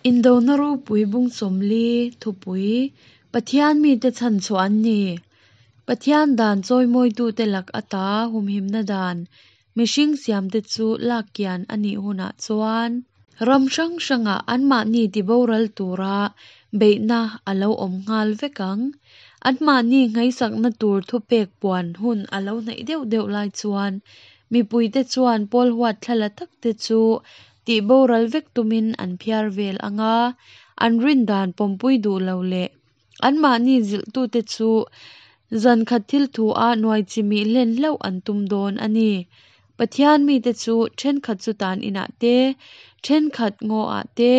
Indona ropui bung 40 thupui Pathian mite chhanchhuah an ni. Pathian dan chawimawitute lak ata humhimna dan mihring siamte chu lak kian a nih hunah chuan ram hrang hrangah anmahni tiboral tura beihna a lo awm nghal vek ang. Anmahni nghaisakna tur thupek puan hun a lo hnaih deuh deuh lai chuan mipuite chuan pawl huat thlala takte chu tihboral vek tumin an phiar vel ang a, an rindan pawmpui duh lo leh anmahni zilhtute chu zan khat thil thu a nuai chimih hlen hlauh an tum dawn a ni. Pathian mite chu thenkhat chu tan inah te, thenkhat ngaw ah te,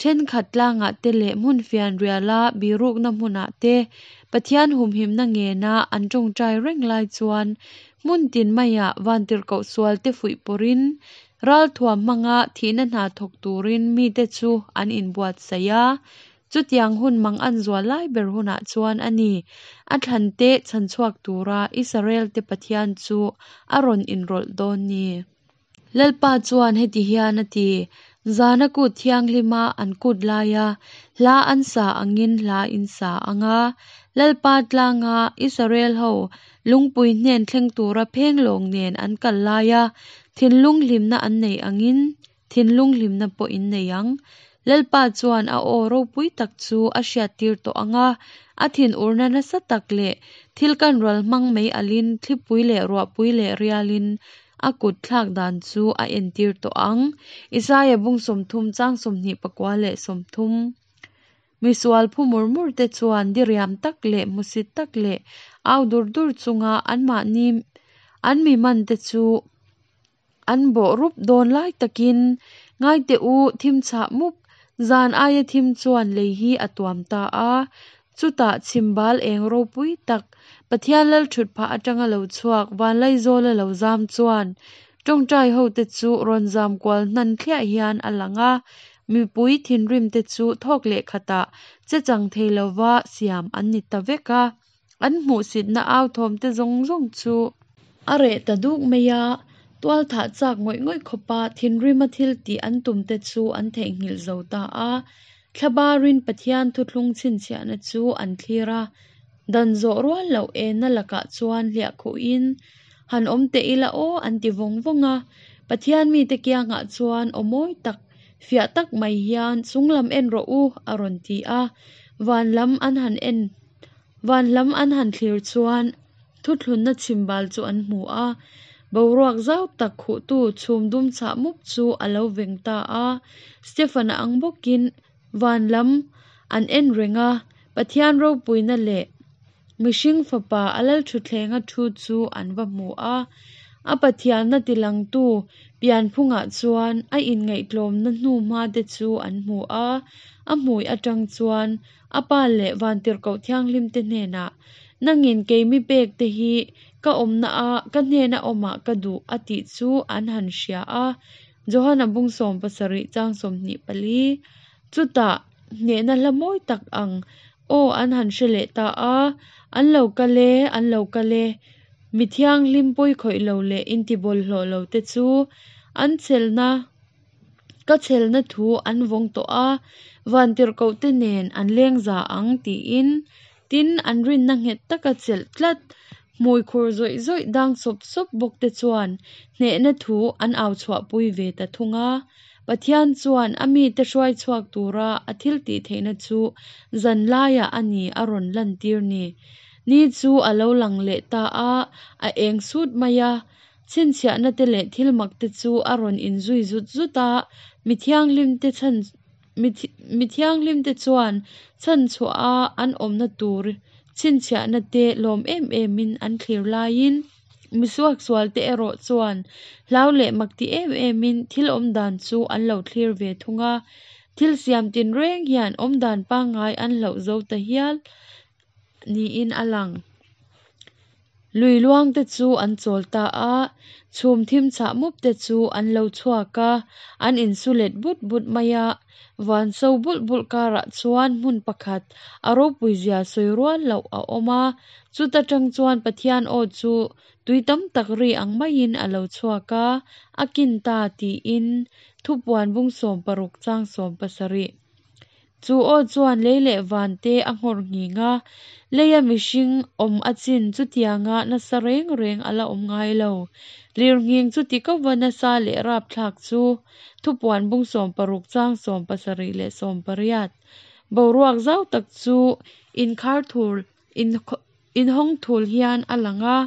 thenkhat tlangah te leh hmun fianriala birukna hmunah te Pathian humhimna ngena an tawngtai reng lai chuan hmun tin maiah vantirhkoh sualte fuih pawrhin ralthuam hmanga thihna hna thawk turin mite chu an inbuatsaih a. Chutiang hun mang an zual lai ber hunah chuan a ni, a thlante chhanchhuak tura Israel-te Pathian chu a rawn inrawlh dawn ni. Lalpa chuan heti hian a ti, Zana kut thianghlima an kut laia hla an sa angin hla in sa ang a, Lalpa tlanga Israel ho lungpui hnen thleng tura phenglawng nen an kal laia thinlung hlimna an nei angin thinlung hlimna pawh in nei ang. Lalpa chuan a aw ropui tak chu a hriattir tawh ang a, a thinurna nasa tak leh thil kan ral hmang mai alin thlipui leh ruahpui leh rialin a kut thlak dan chu a entir tawh ang. Isaia bung 30 chang 24 leh 30. Misual phu mur mur te chuan diriam tak leh hmusit tak leh au dur dur chunga anmahni an mi man te chu an bawh rup dawn lai takin ngai teh u thim chhah mup zan aia thim chuan lei hi a tuam ta a. Chutah chhimbal eng ropui tak Pathian lal thut phah atanga lo chhuak Vanlaizawla lo zam chuan tawngtai ho te chu rawn zam kual hnan thliah hian a lang a, mipui thinrim te chu thawk leh khatah che chang thei lova siam an ni ta vek a. An hmuhsitna au thawm te zawng zawng chu a reh ta duk mai a, tual thah chak ngawih ngawih khawpa thinrima thil tih an tum te chu an theihnghilh zo ta a. Thlabarin Pathian thuthlung chhinchhiahna chu an thlir a, dan zawh rual loh enna lakah chuan hliah khuhin han awm teh ila aw an ti vawng vawng a. Pathian mite kiangah chuan aw mawi tak, fiah tak mai hian chunglam en rawh u a rawn ti a, van lam an han en Van lam an han thlir chuan thuthlunna chhimbal chu an hmu a, boruak zau tak khuhtu chhum dum chhah mup chu a lo veng ta a. Stefan-a ang bawkin van lam an en reng a, Pathian ropuina leh mihring fapa a lalthutthlenga thu chu an va hmu a. A Pathianna tilangtu pianphungah chuan a inngaihtlawmna hnuhma te chu an hmu a, a hmui atang chuan A pa leh Vantirhkoh Thianghlim te hnenah, Nangin keimi pek te hi ka awmna a ka hnena awmah ka duh a tih chu an han hria a, Johana bung 17 chang 24. Chutah hnehna hla mawi tak ang aw an han hre leh ta a, An lo kal e, an lo kal e, mi thianghlim pawi khawih lo leh intibawlhhlawh lo te chu an chelna Ka chhelna thu an vawng tawh a, vantirhkoh te nen an leng za ang tiin, tin an rinna nghet taka chelh tlat, hmui khur zawih zawih dang sawp sawp bawk te chuan hnehna thu an au chhuahpui ve ta thung a. Pathian chuan a mite hruai chhuak tura a thil tih theihna chu zan laiah a ni a rawn lantir ni. Ni chu a lo lang leh ta a, a eng sut mai a, Chhinchhiahna te leh thil mak te chu a rawn inzui zut zut a, mi thianghlim te chhan mi thianghlim te chuan chhanchhuah a an awmna tur chhinchhiahna te lawm em em in an thlir laiin mi suaksual te erawh chuan hlau leh mak ti em em in thil awmdan chu an lo thlir ve thung a, thil siam tinreng hian awmdan pangngai an hlauh zo ta hial niin a lang. Lui luang te chu an chawl ta a, chhum thim chhah mup te chu an lo chhuak a, an insu let but but mai a. Van so bulh bulh karah chuan hmun pakhat a ropui zia sawi rual loh a awm a, chuta tang chuan Pathian aw chu tui tam tak ri ang maiin a lo chhuak a, a kin ta tiin thupuan bung 16 chang 17. Chu aw chuan lei leh van te a nghawr nghing a, leia mihring awm achin chutianga nasa reng reng a la awm ngai lo. Lirnghing chuti kova nasa leh rapthlak chu Thupuan bung 60 chang 70 leh 80. Boruak zau tak chu inkhar thul inhawng thul hian a lang a,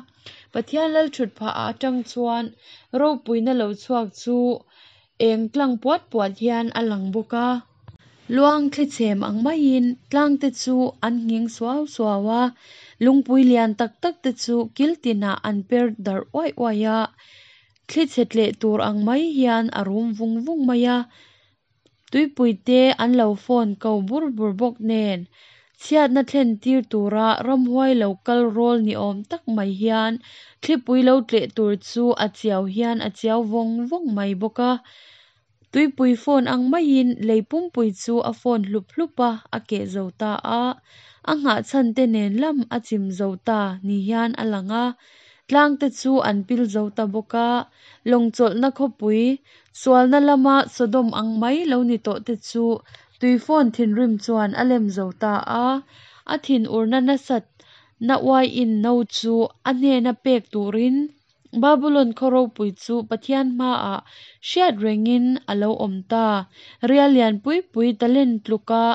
Pathian lalthutphah atang chuan ropuina lo chhuak chu eng tlang puat puat hian a lang bawk a. Luang thli chhem ang maiin tlangte chu an nghing suau suau a, lungpui lian tak tak te chu kil tinah an per darh uaih uaih a, thli chhe tleh tur ang mai hian a rum vung vung mai a. Tuipui te an lo phone ko bur bur bawk nen, chhiatna thlen tir tura ramhuai lo kal rawl ni awm tak mai hian thlipui lo tleh tur chu a chiau hian a chiau vawng vawng mai bawk a. Tuipui phone ang maiin lei pumpui chu a phone hlup hlup a, a keh zo ta a. A nghah chhan te nen lam a chim zo ta ni hian a lang a. Tlang te chu an pil zo ta bawk a. Lawng chawlhna khawpui, sualna lama Sodom ang mai lo ni tawh te chu tuifawn thinrim chuan a lem zo ta a. A thinurna nasat na uaiin no chu a hnena pek turin Babulon khaw ropui chu Pathian hmaah hriat rengin a lo awm ta. Rial lian pui pui talent tluka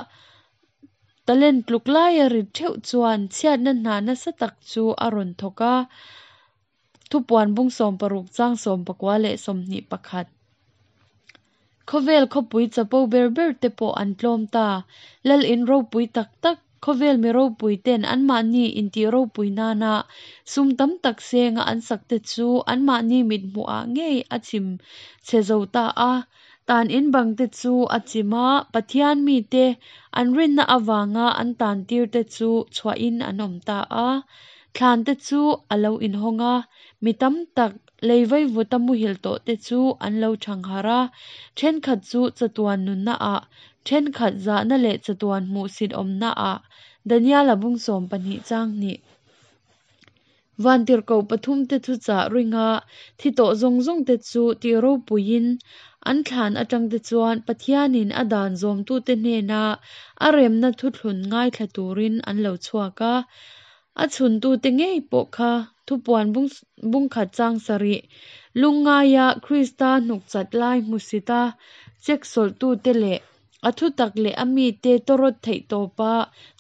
talent tluk laia rit theuh chuan chhiatna hna nasa tak chu a rawn thawk a. Thupuan bung 60 chang 19 leh 21. Khawvel khawpui chapo ber ber te pawh an tlawm ta. Lal in ropui tak tak, khawvel mi ropui ten anmahni intih ropui nana sum tam tak senga an sak te chu anmahni mithmuhah ngei a chim chhe zo ta a. Tan in bang te chu a chim a, Pathian mite an rinna avanga an tan tir te chu chhuahin an awm ta a. Thlan te chu a lo inhawng a, mi tam tak lei vaivuta muhil tawh te chu an lo thangharh a, thenkhat chu chatuan nunna ah, thenkhat zahna leh chatuan hmuhsit awmna ah, Daniela bung 12 chang 2. Vantirhkoh pathum te thuchah ringa thi tawh zawng zawng te chu tih ropuiin an thlan atang te chuan Pathianin a dan zawmtute hnena a remna thuthlun ngaithla turin an lo chhuak a. A chhuntute ngei pawh kha Thupuan bung khat chang 7 lungngaia Krista hnukchat lai hmusita chek sawlhtute leh a thutak leh a mite tawrawt theih tawpa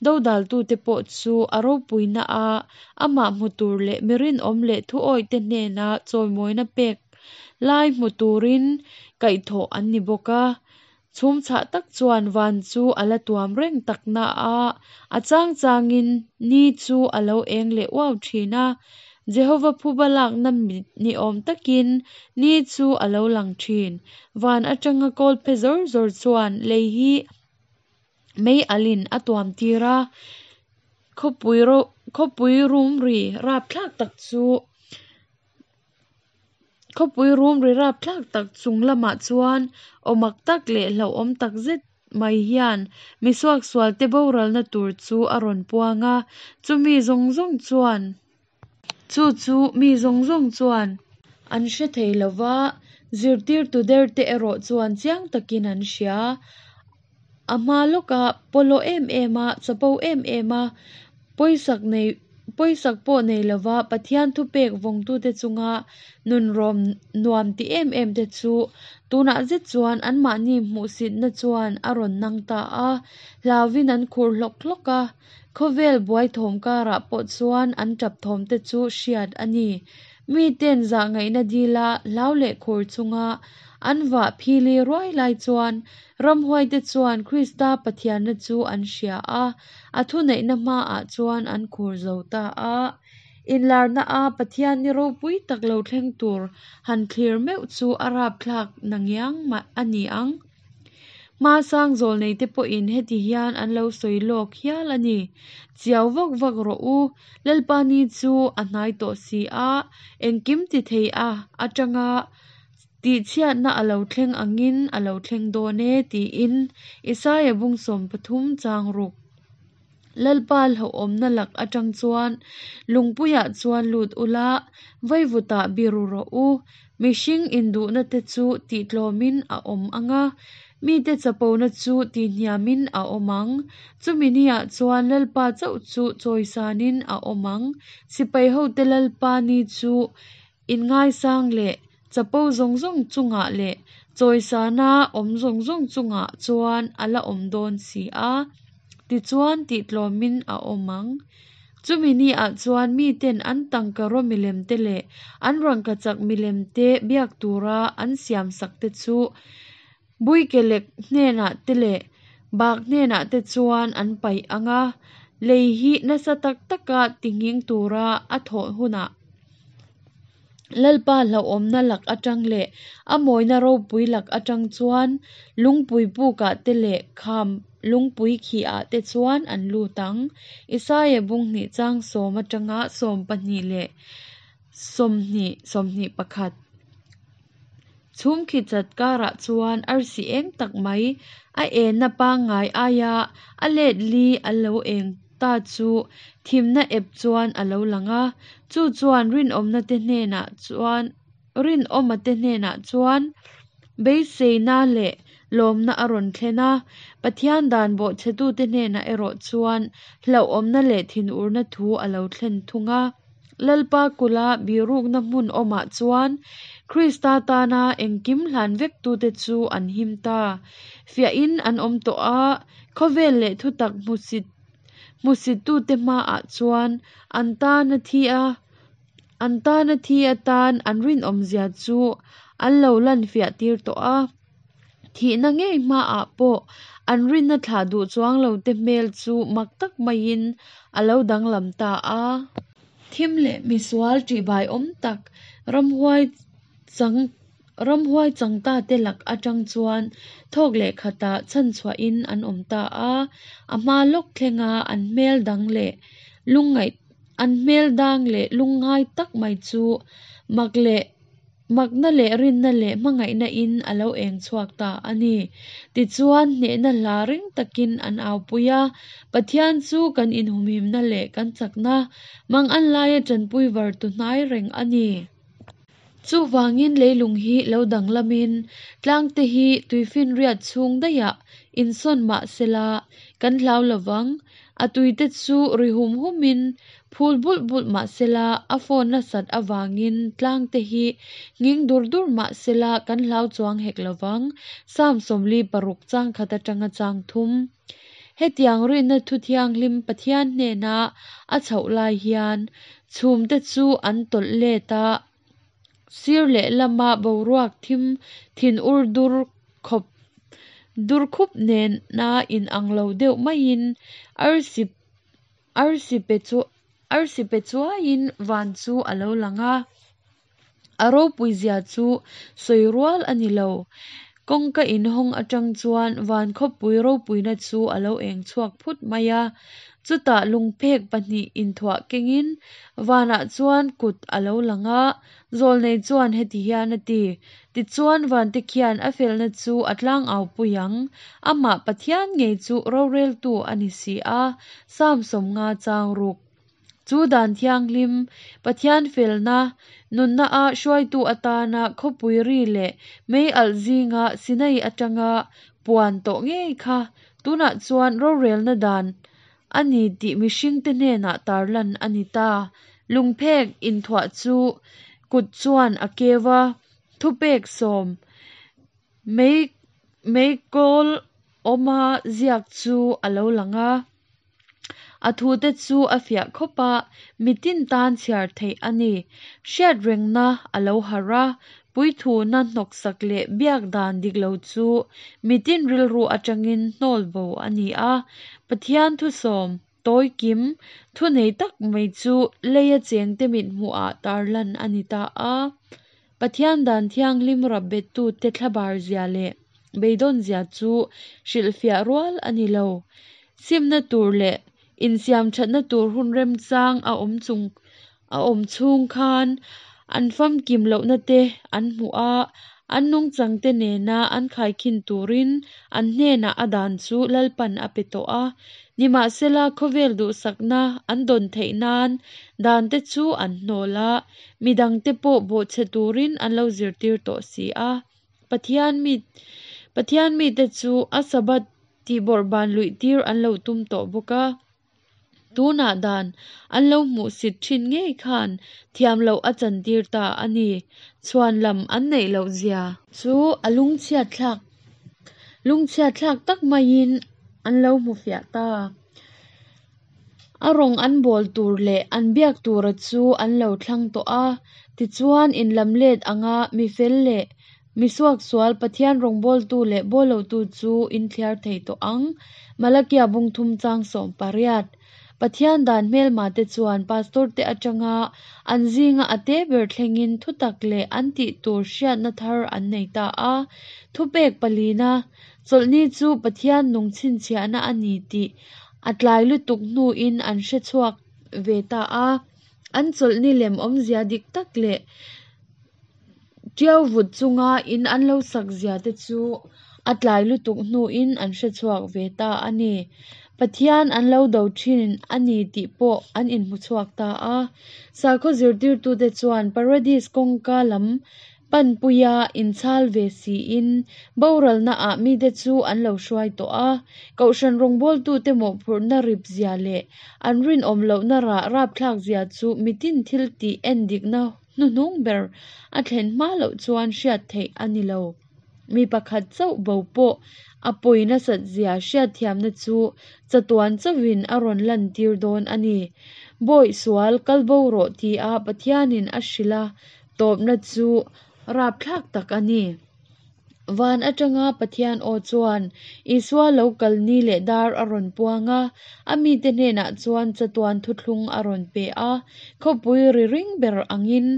dodaltute pawh chu a ropuina a amah hmu tur leh mi rinawm leh thuawihte hnena chawimawina pek lai hmu turin kaihthawh an ni bawk a. Chhum chhah tak chuan van chu a la tuam reng tak na a, a chang changin ni chu a lo eng leh uau thin a. Jehova phuba lakna ni awm takin ni chu a lo lang thin. Van atanga kawl phe zawr zawr chuan lei hi mei alin a tuam tir a. Khawpui rum ri rapthlak tak chu Khawpui rum ri rapthlak tak chung lamah chuan aw mak tak leh hlauhawm tak zet mai hian mi suaksualte boralna tur chu a rawn puang a. Chu mi zawng zawng chuan chu chu mi zawng zawng chuan an hre thei lova, zirtirtu derte erawh chuan chiang takin an hria. A hma lawka pawlawh em em a, chapo em em a, pawisak nei pawisak pawh nei lova Pathian thupek vawngtute chunga nunrawm nuam ti em em te chu tunah zet chuan anmahni hmuhsitna chuan a rawn nang ta a, hlauvin an khur hlawk hlawk a. Khawvel buai thawm karah pawh chuan an tap thawm te chu hriat a ni. Miten zahngaihna dila hlau leh khur chunga an vah phili ruai lai chuan ramhuaite chuan Krista Pathianna chu an hria a, a thuneihna hmaah chuan an khur zo ta a. Inlarna a Pathian ni ropui tak lo thleng tur han thlir meuh chu a rapthlak nangiang a ni ang. Hmasang zawlneite pawhin heti hian an lo sawi lawk hial a ni. Chiau vak vak rawh u, Lalpa ni chu a hnai tawh si a, engkim ti thei a atanga tihchhiatna a lo thleng angin a lo thleng dawn e tiin Isaia bung 30 chang 6. Lalpa hlauhawmna lak atang chuan lungpuiah chuan lut ula, vaivutah biru rawh u. Mihring induhna te chu tihtlawmin a awm anga. Mite chapona chu tihhniamin a awm ang. Chumi niah chuan Lalpa chauh chu chawisanin a awm ang. Sipaihote Lalpa ni chu inngaisang leh chapo zawng zawng chungah leh chawisana awm zawng zawng chungah chuan a la awm dawn si a, tichuan tihtlawmin a awm ang. Chumi niah chuan miten an tangkaraw milemte leh an rangkachak milemte biak tura an siamsakte chu Buikelek hnenah te leh bak hnenah te chuan an paih ang a, lei hi nasa tak taka tinghing tura a thawh hunah Lalpa hlauhawmna lak atang leh a mawina ropui lak atang chuan lungpui pukah te leh kham lungpui khihah te chuan an lut ang. Isaia bung hnih chang sawm atanga 12 leh 20, 21. Chhum khi chat karah chuan arsi eng tak mai, a enna pangngai aia a let li a lo eng ta chu thimna ep chuan a lo lang a. Chu chuan rinawmna te hnenah chuan rinawma te hnenah chuan beiseina leh lawmna a rawn thlen a. Pathian dan bawhchhetute hnenah erawh chuan hlauhawmna leh thinurna thu a lo thlen thung a. Lalpa kula bihrukna hmun awmah chuan Krista tana engkim hlan vektute chu an him ta. Fiahin an awm tawh a, khawvel leh thutak hmusit hmusittute hmaah chuan an tana thi a an tana thi atan an rinawmzia chu an lo lan fiah tir tawh a. Thihna ngei hmaah pawh an rinna thlah duh chuang lote hmel chu mak tak maiin a lo danglam ta a. Thim leh misual ṭihbai awm tak ramhuai chang ramhuai chang ta te lak aṭang chuan thawk leh khatah chhanchhuahin an awm ta a. A hma lawk thlenga an hmel dang leh lungngaih an hmel dang leh lungngai tak mai chu mak leh Makna leh rinna leh hmangaihna in a lo eng chhuak ta a ni. Tichuan, hnehna hla ring takin an aupui a, Pathian chu kan inhumhimna leh kan chakna, mangan laia tanpui vartu hnai reng a ni. Chuvangin leilung hi lo danglamin tlangte hi tuifinriat chhung daihah insawn mah sela kan hlau lovang. A tuite chu ri hum humin phul bulh bulh mah sela, a phone nasat avangin tlangte hi nghing dur dur mah sela kan hlau chuang hek lovang, Psalm 46 chang khat atanga chang thum. Hetiang rinna thu thianghlim Pathian hnena a chhoh lai hian chhumte chu an tawlh let a, Sir lehlama boruak thim thinur dur khawp dur khup nena inang lo deuh maiin arsi arsi pe chu arsi pe chuaiin van chu a lo lang a. A ropui zia chu sawi rual a ni lo. Kawngka inhawng atang chuan van khawpui ropuina chu a lo eng chhuak phut mai a. Chutah lungphek pahnih inthuah kengin vanah chuan kut a lo lang a, zawlnei chuan heti hian a ti, Tichuan vante khian a felna chu a tlangau pui ang, amah Pathian ngei chu roreltu a ni si a, Psalm 50 chang ruk. Chu dan thianghlim, Pathian felna, nunna a hruaitu atana khawpui ri leh mei alh zinga Sinai atanga puan tawh ngei kha tunah chuan rorelna dan a ni tih mihringte hnenah tarlan a ni ta. Lungphek inthuah chu kut chuan a keu a, thupek sawm mei meikawl awma ziak chu a lo lang a. A thute chu a fiah khawp a, mitin tan chhiar theih a ni. Hriatrengna a lo harh a, puithuna hnawksak leh biak dan dik lo chu mitin rilru atangin hnawl bo a ni a. Pathian thusawm, tawi kim, thunei tak mai chu leia chengte mithmuhah tarlan a ni ta a. Pathian dan thianghlim rapbettute thlabar zia leh beidawn zia chu hrilhfiah rual a ni lo. Simna tur leh insiam thatna tur hun remchang a awm chung a awm chhung khan an famkim lohna te an hmuh a, an nungchangte nena an khaikhin turin an hnenah a dan chu Lalpan a pe tawh a. Nimahsela khawvel duhsakna an dawn theih nan dante chu an hnawl a, midangte pawh bawhchhe turin an lo zirtir tawh si a. Pathian mi Pathian mite chu a Sabbath tihbawrhban luihtir an lo tum tawh bawk a. Tunah dan an lo hmuhsit thin ngei khan thiam loh a chantir ta a ni. Chhuan lam an neih loh zia chu a lungchhiatthlak lungchhiatthlak tak maiin an lo hmu fiah ta. A rawng an bawl tur leh an biak tura chu an lo thlang tawh a, tichuan inlam let anga mi fel leh mi suaksual Pathian rawngbawltu leh bawllotu chu inthliar thei tawh ang. Malakia bung thum chang 18. Pathian dan hmelma te chuan pastor te atanga an zinga a te ber thlengin thutak leh an tih tur hriatna thar an nei ta a. Thupek palina, Chawlhni chu Pathian nung chhinchhiahna a ni tih a tlai lutuk hnuin an hre chhuak ve ta a. An chawlhni lem awmzia dik tak leh Ṭiau vut chunga in an lo sak zia te chu a tlai lutuk hnuin an hre chhuak ve ta a ni. Pathian an lo do ṭhin a ni tih pawh an inhmu chhuak ta a. Sakhaw zirtirtute chuan Paradis kawngka lam panpuia inchhal ve siin boralna ah mite chu an lo hruai tawh a. Kohhran rawngbawltute mawhphurhna rip zia leh an rinawm lohna rah rapthlak zia chu mitin thil tih endikna hnuhnung ber a thlen hma loh chuan hriat theih a ni lo. Mi pakhat chauh bo pawh a pawi nasat zia hriatthiamna chu chatuan chauhin a rawn lantir dawn a ni. Bawih sual kal bo rawh tia Pathianin a hrilh a tawpna chu rapthlak tak a ni. Van atanga Pathian aw chuan Isua lo kal ni leh dar a rawn puang a, a mite hnenah chuan chatuan thuthlung a rawn pe a. Khawpui ri ring ber angin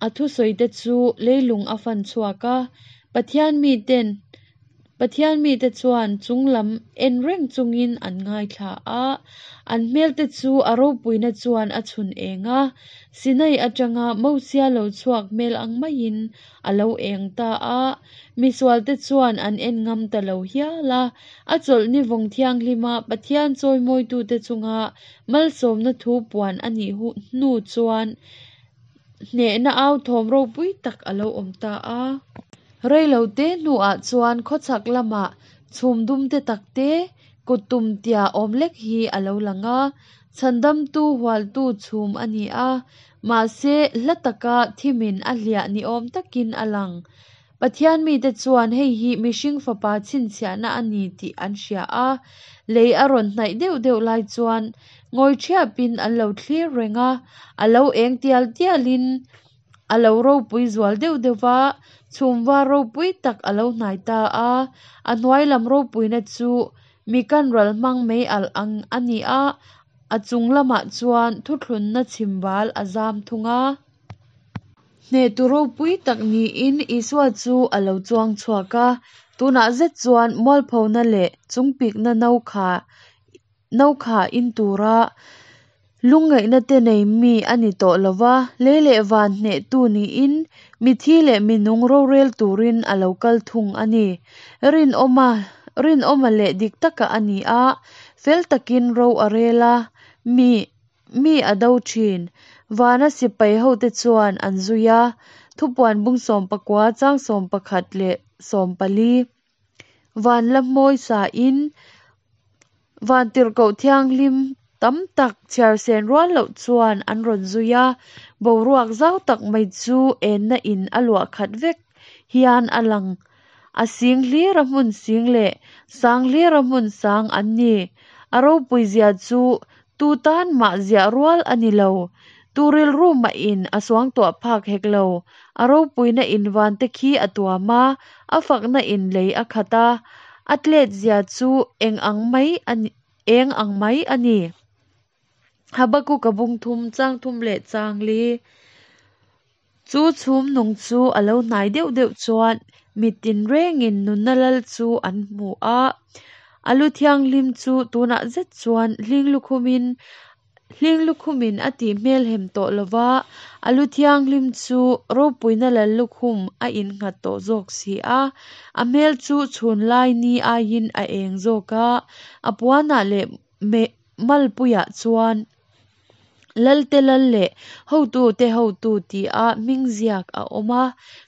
a thusawite chu leilung a fan chhuak a. Pathian miten Pathian mite chuan chunglam en reng chungin an ngaithla a, an hmelte chu a ropuina chuan a chhun eng a. Sinai atanga Mosia lo chhuak hmel ang maiin a lo eng ta a, misualte chuan an en ngam ta lo hial a. A chawlhni vawng thianghlima Pathian chawimawitute chunga malsawmna thu puan a nih hnu chuan hnehna au thawm ropui tak a lo awm ta a. Reilote hnuah chuan khawchhak lamah chhum dum te tak te, kut tum tia awm lek hi a lo lang a, chhandamtu hualtu chhum a ni a, mahse hla taka thimin a hliah ni awm takin a lang. Pathian mite chuan hei hi mihring fapa chhinchhiahna a ni tih an hria a, lei a rawn hnaih deuh deuh lai chuan ngawi ṭhiapin an lo thlir reng a, a lo eng tial tialin a lo ropui zual deuh deuh va, chhum var ropui tak a lo hnai ta a, a hnuai lam ropuina chu mi kan ral hmang mai alh ang a ni a, a chung lamah chuan thuthlunna chhimbal a zam thung a. Hnehtu ropui tak niin Isua chu a lo chuang chhuak a, tunah zet chuan mualphona leh chungpikna no kha no kha in tura lungngaihna te nei mi a ni tawh lo va, lei leh van hnehtu niin mithi leh minung rorel turin a lo kal thung a ni. Rinawma rinawma leh dik taka a ni a, fel takin ro a rel a, mi mi a do thin. Vana sipai hote chuan an zui a, thupuan bung 19 chang 11 leh 14. Van la hmawi sain vantirhkoh thianghlim tam tak chhiar sen rual loh chuan an rawn zui a, boruak zau tak mai chu enna in a luah khat vek hian a lang. A sing hlira hmun sing leh sang hlira hmun sang an ni. A ropui zia chu tu tan mah ziah rual a ni lo. Tu rilru mahin a suangtuah phak hek lo. A ropuina in van te khi a tuam a, a fakna in lei a khat a, a tlet zia chu eng ang mai a ni eng ang mai a ni. Habakuka bung thum chang thum leh chang li. Chu chhum nung chu a lo hnai deuh deuh chuan mi tinrengin nunna lal chu an hmu a, a lu thianghlim chu tunah zet chuan hling lukhumin hling lukhumin a tih hmel hem tawh lo va, a lu thianghlim chu ropuina lal lukhum a innghat tawh zawk si a, a hmel chu chhun lai ni aiin a eng zawk a, a puanah leh malpuiah chuan. Lalte lal leh hotute hotu tia hming ziak a awm a,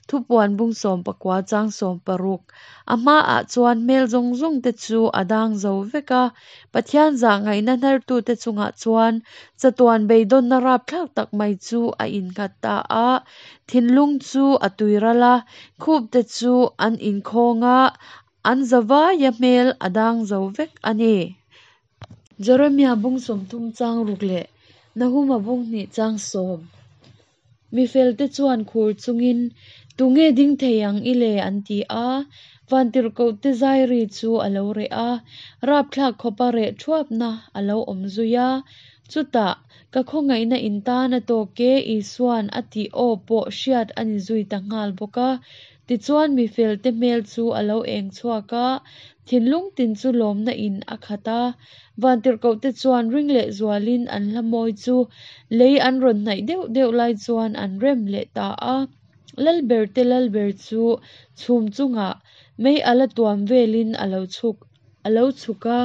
Thupuan bung 19 chang 16. A hmaah chuan hmel zawng zawng te chu a dang zo vek a, Pathian zahngaihna hnartute chungah chuan chatuan beidawnna rapthlak tak mai chu a innghat ta a, thinlung chu a tuiral a, khupte chu an inkhawng a, an zavaia hmel a dang zo vek a ni. Jeremia bung 30 chang ruk leh Nahuma bung hnih chang sawm. Mi felte chuan khur chungin, Tunge ding thei ang i le? an ti a. Vantirhkohte zai ri chu a lo reh a, rapthlak khawpa reh thuapna a lo awm zui a. Chutah, Ka khawngaihna in tan a tawk e, Isua'n a tih aw pawh hriat a ni zui ta nghal bawk a. Tichuan mi felte hmel chu a lo eng chhuak a, thinlung tin chu lawmna in a khat a. Vantirhkohte chuan ring leh zualin an hla mawi chu lei an rawn hnaih deuh deuh lai chuan an rem leh ta a. Lalberte Lalber chu chhum chungah mei a la tuam velin a lo chhuk a lo chhuk a.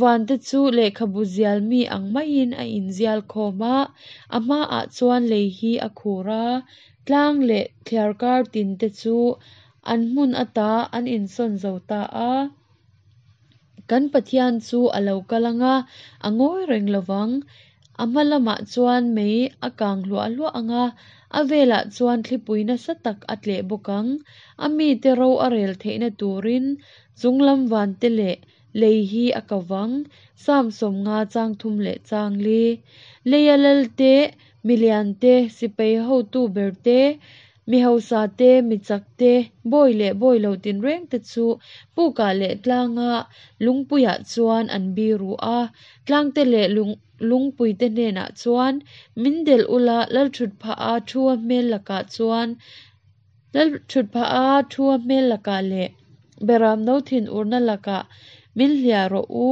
Vante chu lehkhabu zial mi ang maiin a inzial khawm a, a hmaah chuan lei hi a khur a. Tlang leh thliarkar tin te chu an hmun ata an insawn zo ta a. Kan Pathian chu a lo kal ang a, a ngawi reng lo vang. A hma lamah chuan mei a kang hluah hluah ang a, a velah chuan thlipui nasa tak a tleh bawk ang. A mite ro a rel theihna turin chunglam vante leh lei hi a ko vang. Psalm 50 chang thum leh chang li. Leia Lalte Milian te, sipai hotu ber te, mi hausa te, mi chak te, bawi leh bawi lo tinreng te chu pukah leh tlanga lungpuiah chuan an biru a. Tlangte leh lungpuite hnenah chuan, Min delh ula, Lalthutphaha thua hmel lakah chuan Lalthutphaha thua hmel lakah leh Beramno thinurna lakah min hliah rawh u.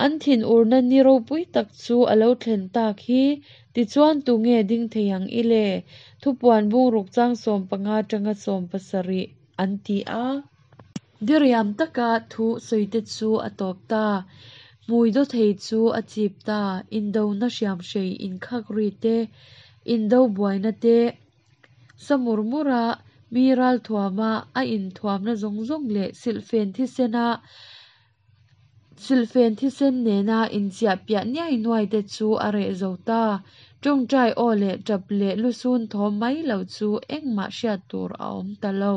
An thinurna ni ropui tak chu a lo thlen tak hi, tichuan tunge ding thei ang i le? Thupuan bungruk chang 15 atanga 17 an ti a. Diriam taka thu sawite chu a tawp ta. Hmui dawthei chu a chip ta. Indona hriamhrei inkhak ri te, indo buaina te, Sa mur mura mi ralthuama a inthuamna zawng zawng leh silhfen thisena silhfen thisen nena inchiah piah niai nuai te chu a reh zo ta. Tawngtai aw leh tap leh lusun thawm mai lo chu engmah hriat tur a awm ta lo.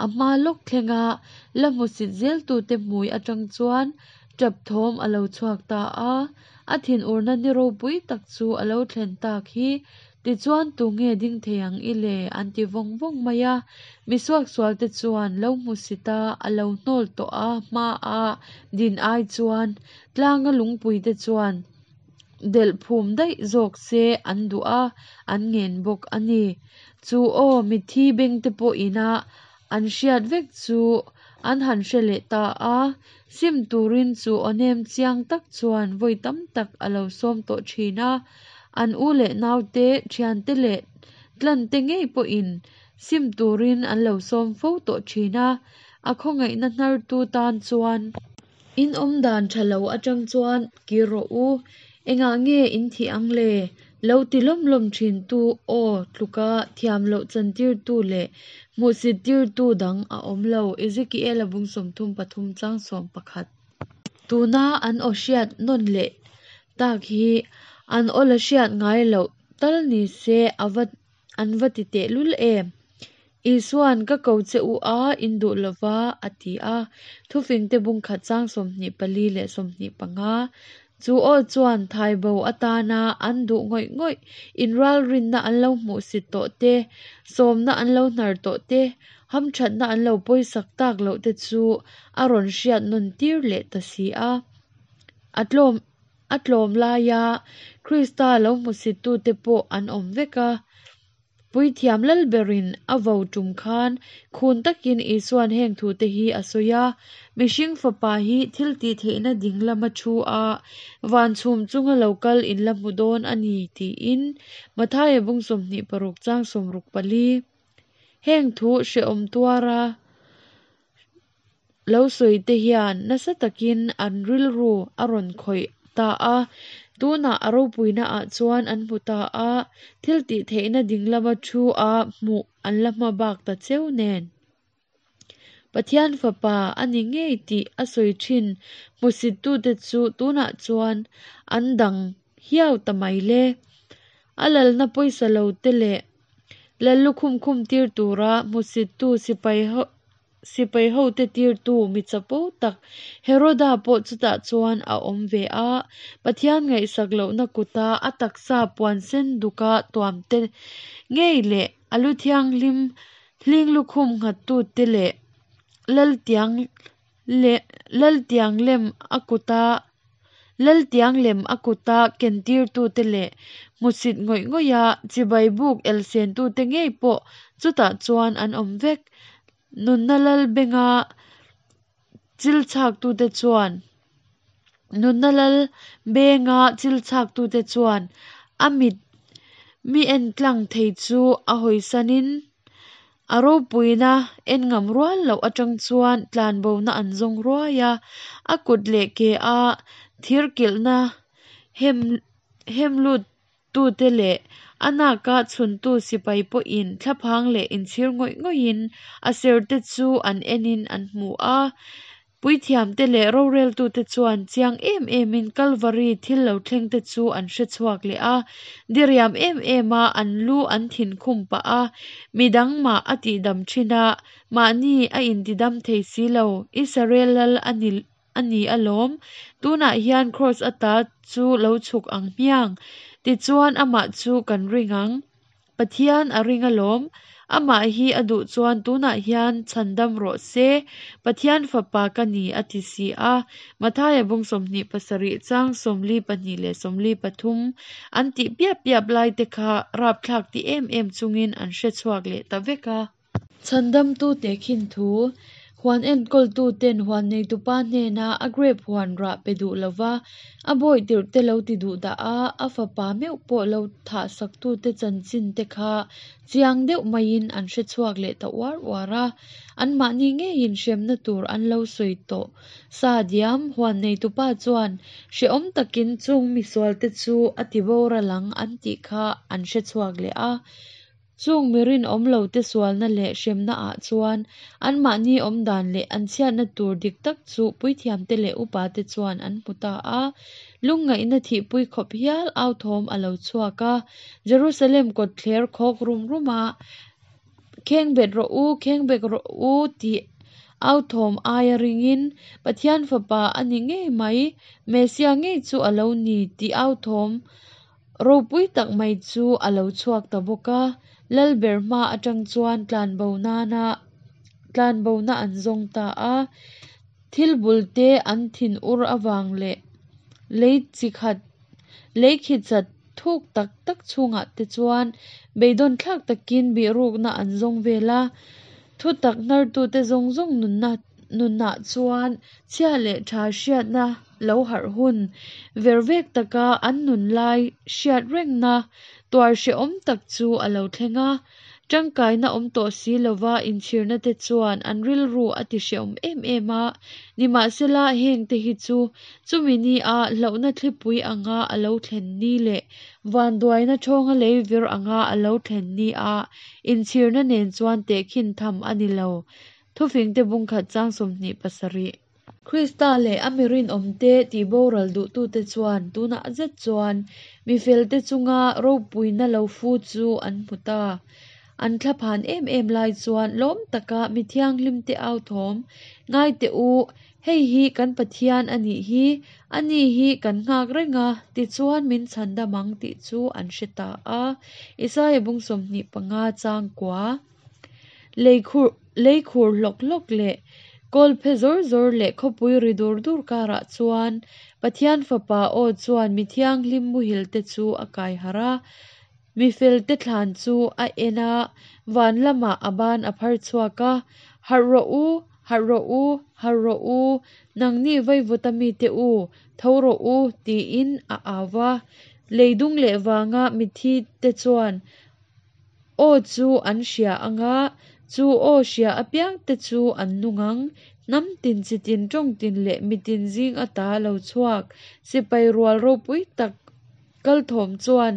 A hma lawk thlenga la hmusit zeltute hmui atang chuan tap thawm a lo chhuak ta a, a thinurna ni ropui tak chu a lo thlen tak hi. Tichuan tunge ding thei ang i le? an ti vawng vawng mai a. Mi suaksualte chuan lo hmusit a, a lo hnawl tawh a hmaa din ai chuan tlanga lungpuite chuan delh phum daih zawk se an duh a, an ngen bawk a ni. Chu aw, mitthi bengte pawh ina an hriat vek chu an han hre leh ta a, sim turin chu aw nem chiang tak chuan vawi tam tak a lo sawm tawh thin a, an u leh naute, thiante leh tlante ngei pawhin sim turin an lo sawm fo tawh thin a, a khawngaihna hnartu tan chuan. In awm dan tha lo atang chuan kir rawh u, engah nge in thih ang le? Lo ti lawm lawm thin tu aw tluka thiam loh chantirtu leh hmuhsit tirtu dang a awm lo, Ezekiela bung 33 chang 11. Tuna an aw hriat nawn leh tak hi an aw la hriat ngai loh tal ni se a va An va ti tehlul em? Isua'n ka ko che u a, in duh lo va, a ti a. Thufingte bung khat chang 24 leh 25. Chu aw chuan thaibo atana an duh ngawih ngawih, inralrinna an lo hmuhsit tawh te, sawmna an lo hnar tawh te, hamthatna an lo pawisak tak loh te chu a rawn hriat nawn tir leh ta si a. A tlawm. A tlawm laia Krista lo hmusittute pawh an awm vek a. Puithiam Lalberin a vo tum khan khun takin Isua'n heng thute hi a sawi a, Mihring Fapa hi thil tih theihna ding lama thu a, van chhum chunga lo kal in la hmu dawn a ni, tiin Mathaia bung 26 chang 64. Heng thu hrehawm tuara lo sawi te hian nasa takin an rilru a rawn khawih ta a. Tunah a ropuina ah chuan an hmu ta a, thiltihtheihna dinglama thu a hmuh an la hma bak ta cheu nen. Pathian Fapa a ni ngei tih a sawi thin hmusittute chu tunah chuan an dang hiau ta mai le. A lalna pawisa lo te leh lallukhum khum tir tura hmusittu sipai sipai hote tirtu mi chapo tak Heroda pawh chutah chuan a awm ve a. Pathian ngaihsak lohna kuta a taksa puan sen duka tuam te ngei leh a lu thianghlim hling lukhum nghattute leh laltiang leh laltiang lem a kuta laltiang lem a kuta kentirtute leh hmusit ngawih ngawih a chibai buk elsentute ngei pawh chutah chuan an awm vek. Nunna lal benga chil chhaktute chuan Nunna lal benga chil chhaktute chuan a mit mi en tlang thei chu a hawisanin a ropuina en ngam rual loh atang chuan tlanbona an zawng ruai a, a kut leh ke a thir kilhna hem hem lut tute leh a naka chhuntu sipai pawhin thlaphang leh inchhir ngawih ngawihin a serte chu an enin an hmu a. Puithiamte leh roreltute chuan chiang em emin Kalvari thil lo thlengte chu an hre chhuak leh a, diriam em em a an lu an thin khum pah a, midang mah a tihdam thin a, mahni a intidam thei si lo, Israel lal a ni a ni alawm, tunah hian Kraws ata chu lo chhuk ang hmiang, tichuan amah chu kan ring ang. Pathian a ring alawm, amah hi a duh chuan tunah hian chhandam rawh se, Pathian fapa ka ni a ti si a. Mathaia bung 27 chang 42 leh 43 an tih piap piap lai te kha rapthlak ti em em chungin an hre chhuak leh ta vek a. Chhandamtu tehkhin thu, Huan enkawltuten huan neitupa hnena a grape huan rah pe duh lova, a bawi tirhte lo ti duh dah a, a fapa meuh pawh lo thahsaktute chanchin te kha chiang deuh maiin an hre chhuak leh ta uar uar a. Anmahni ngeiin hremna tur an lo sawi tawh sa diam. Huan neitupa chuan hrehawm takin chung misualte chu a ti boral ang an tih kha an hre chhuak leh a. Chung mi rinawm lote sualna leh hremna ah chuan anmahni awmdan leh an chhiatna tur dik tak chu puithiamte leh upate chuan an hmu ta a. Lungngaihna thihpui khawp hial au thawm a lo chhuak a. Jerusalem kawtthler khawk rum rum a, Khengbet rawh u, khengbet rawh u tih au thawm aia ringin, Pathian Fapa a ni ngei mai, Messiah ngei chu a lo ni tih au thawm Ropui tak mai chu a lo chhuak ta bawk a, Lalber hma atang chuan tlanbo nana tlanbona an zawng ta a. Thil bul te an thin ur avang leh lei chi khat lei khi chat thuk tak tak chhungah te chuan beidawn thlak takin bihrukna an zawng vel a. Thutak hnartute zawng zawng nunna nunah chuan chhia leh tha hriatna lo harh hun vervek taka an nun lai hriat rengna tuar hrehawm tak chu a lo thleng a. Tangkaina awm tawh si lova inchhirna te chuan an rilru a ti hrehawm em em a. Nimahsela heng te hi chu chumi ni a hlauhna thlipui anga a lo thlen ni leh vanduaina thawnga lei vir anga a lo thlen ni a inchhirna nen chuan tehkhin tham a ni lo. Thufingte bungkhat chang 27. Krista leh a mi rinawmte tihboral duhtute chuan tunah zet chuan mi felte chunga ropuina lo fu chu an hmu ta. An thlaphan em em lai chuan lawm taka mi thianghlimte au thawm, Ngai teh u, hei hi kan Pathian a nih hi, ani hi kan nghak reng a, tichuan min chhandam ang tih chu an hre ta a. Isaia bung 25 chang kua. Leikhur leikhur hlawk hlawk leh kawl phe zawr zawr leh khawpui ri dur dur karah chuan Pathian fapa aw chuan mi thianghlim muhil te chu a kai harh a, mi fel te thlan chu a en a, van lamah a ban a phar chhuak a, Harh rawh u, harh rawh u, harh rawh u, nangni vaivut a mite u, tho rawh u, tiin a au va. Lei dung leh vanga mithi te chuan Aw chu an hria ang a, chu aw hria apiangte chu an nung ang. Hnam tin chi tin tawng tin leh mitin zing ata lo chhuak sipai rual ropui tak kal thawm chuan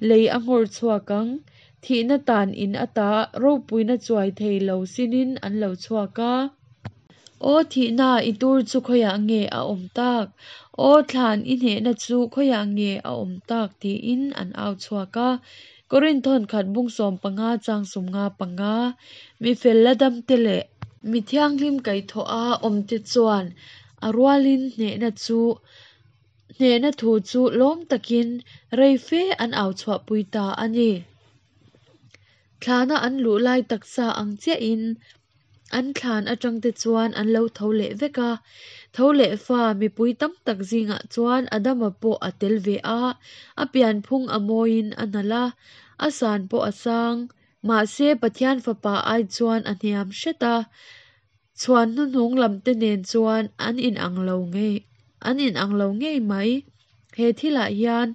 lei a nghawr chhuak ang. Thihna tan in ata ropuina chuai thei lo sinin an lo chhuak a. Aw thihna, i tur chu khawiah nge a awm tak? Aw thlan, i hnehna chu khawiah nge a awm tak? tiin an au chhuak a. Korinth khat bung 15 chang 55, Mi fel la damte leh mi thianghlim kaihthawha awmte chuan a rualin hnehna chu hnehna thu chu lawm takin rei fe an au chhuahpui ta a ni. Thlana an luh lai taksa ang chiahin an thlan atangte chuan an lo tho leh vek a. Tho leh fa mipui tam tak zingah chuan Adama pawh a tel ve a, a pianphung a mawiin a nalh a, a san pawh a sang. Mahse Pathian Fapa ai chuan a hniam hret a, chhuan hnuhnung lamte nen chuan an inang lo ngei an inang lo ngei mai. He thilah hian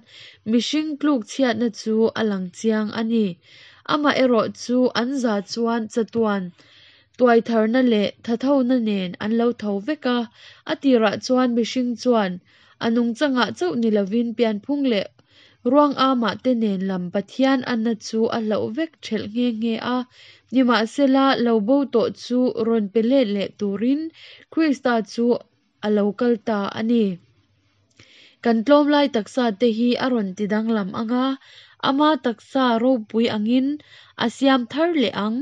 mihring tluk chhiatna chu a lang chiang a ni. Amaherawh chu an za chuan chatuan tuaitharna leh thathona nen an lo tho vek a. A tirah chuan mihring chuan a nungchangah chauh ni lovin pianphung leh ruang amah te nen lam Pathian anna chu a hlauh vek thelh nghe nghe a. Nimahsela, lo bo tawh chu rawn pe let leh turin Krista chu a lo kal ta a ni. Kan tlawm lai taksa te hi a rawn ti danglam ang a, ama taksa ropui angin a siam thar leh ang.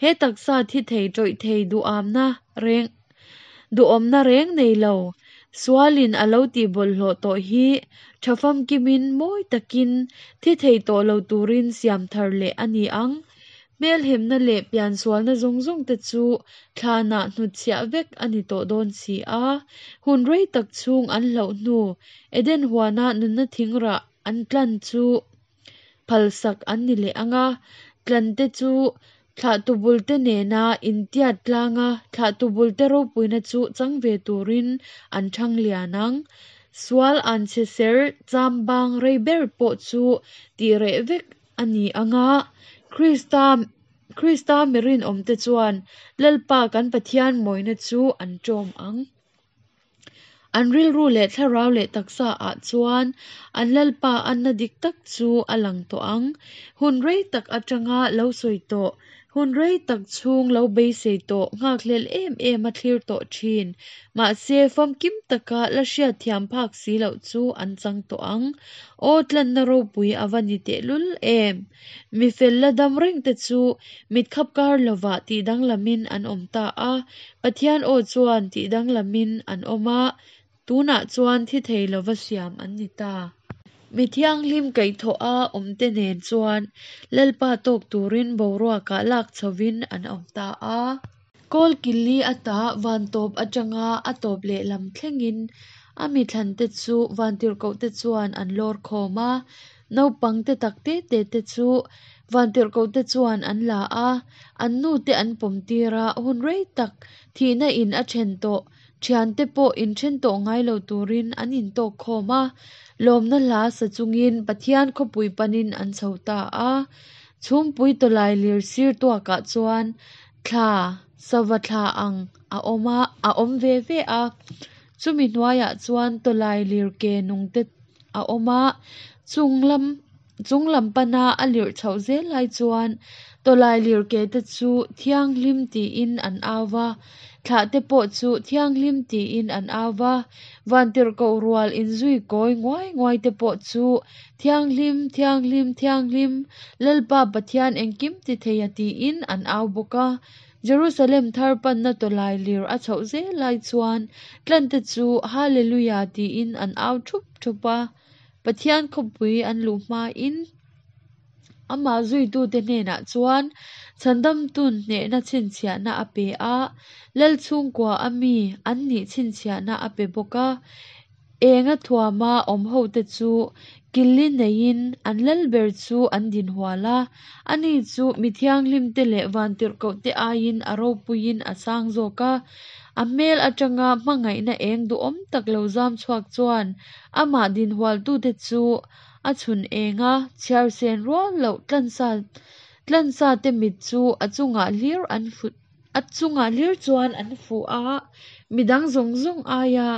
He taksa thi thei tawih thei duhamna reng duhawmna reng nei lo, sualin a lo tih bawlhhlawh tawh hi tha famkimin mawi takin thi thei tawh lo turin siam thar leh a ni ang. Hmelhemna leh piansualna zawng zawng te chu thlanah hnutchhiah vek a ni tawh dawn si a. Hun rei tak chhung an hlauh hnu Eden huana nunna thingrah an tlan chu phalsak an ni leh ang a, tlante chu thlahtu bulte nena intiat tlanga thlahtu bulte ropuina chu chang ve turin an thang lian ang. Sual anchhe ser chambang rei ber pawh chu tih reh vek a ni ang a, Krista Krista mi rinawmte chuan Lalpa kan Pathian mawina chu an ṭawm ang. An rilru leh thlarau leh taksa ah chuan an Lalpa anna dik tak chu a lang tawh ang. Hun rei tak atanga lo sawi tawh, hun rei tak chhung lo beisei tawh nghakhlel em em a thlir tawh thin. Mahse, famkim taka la hriatthiam phak si loh chu an chang tawh ang. Aw tlanna ropui a va ni tehlul em! Mi fel la dam reng te chu mit khap kar lovah tih danglamin an awm ta a, Pathian aw chuan tih danglamin an awm a, tunah chuan thi thei lova siam an ni ta. Mi thianghlim kaihthawha awmte nen chuan Lalpa tawk turin boruakah lak chhovin an awm ta a. Kawl killi ata van tawp atanga a tawp lehlam thlengin a mi thlante chu vantirhkohte chuan an lawr khawm a, naupang te tak te te te chu vantirhkohte chuan an la a, an nute an pawm tir a, hun rei tak thihna in a then tawh thiante pawh inthen tawh ngai lo turin an intawk khawm a, lawmna hla sa chungin Pathian khawpui panin an chho ta a. Chhumpui tawlai lir sir tuakah chuan thla, sava thla ang a awm a, a awm ve ve a. Chumi hnuaiah chuan tawlai lir ke nung te a awm a, chung lam chung lam pana a lirh chhoh zel lai chuan tawlai lir ke te chu thianghlim tiin an au va, thlah te pawh chu thianghlim tiin an au va, vantirhkoh rual inzui kawi nguai nguai te pawh chu Thianghlim, thianghlim, thianghlim, Lalpa Pathian engkim ti thei a tiin an au bawk a. Jerusalem thar panna tawlai lir a chhoh zel lai chuan tlante chu Hallelujah tiin an au thup thup a. Pathian khawpui an luh hmain amah zuitute hnenah chuan Chhandamtun hnehna chhinchhiahna a pe a, Lal chhungkua a mi an nih chhinchhiahna a pe bawk a. Enga thuama awm hote chu killi neiin an lal ber chu an din hual a, ani chu mi thianghlimte leh vantirhkohte aiin a ropuiin a sang zawk a. A hmel atanga hmangaihna eng duhawm tak lo zam chhuak chuan amah din hualtute chu a chhun eng a, chhiarsen rual loh tlansa tlansate mit chu a chungah hlir an fu. A chungah hlir chuan an fuh a, midang zawng zawng aia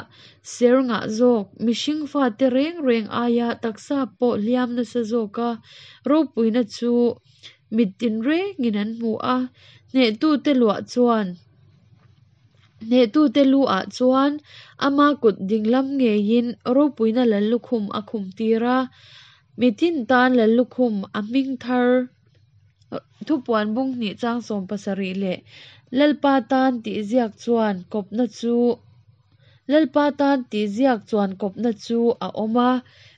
ser ngah zawk, mihring fate reng reng aia taksa pawh hliam nasa zawka ropuina chu mit tinrengin an hmu a, hnehtute luah chuan hnehtute lu ah chuan ama kut dinglam ngeiin ropuina lallukhum a khum tir a, mitin tan lallukhum a hming thar Thupuan bung hnih chang 70 leh Lalpa tan tih ziak chuan kawpna chu Lalpa tan tih ziak chuan kawpna chu a awm a,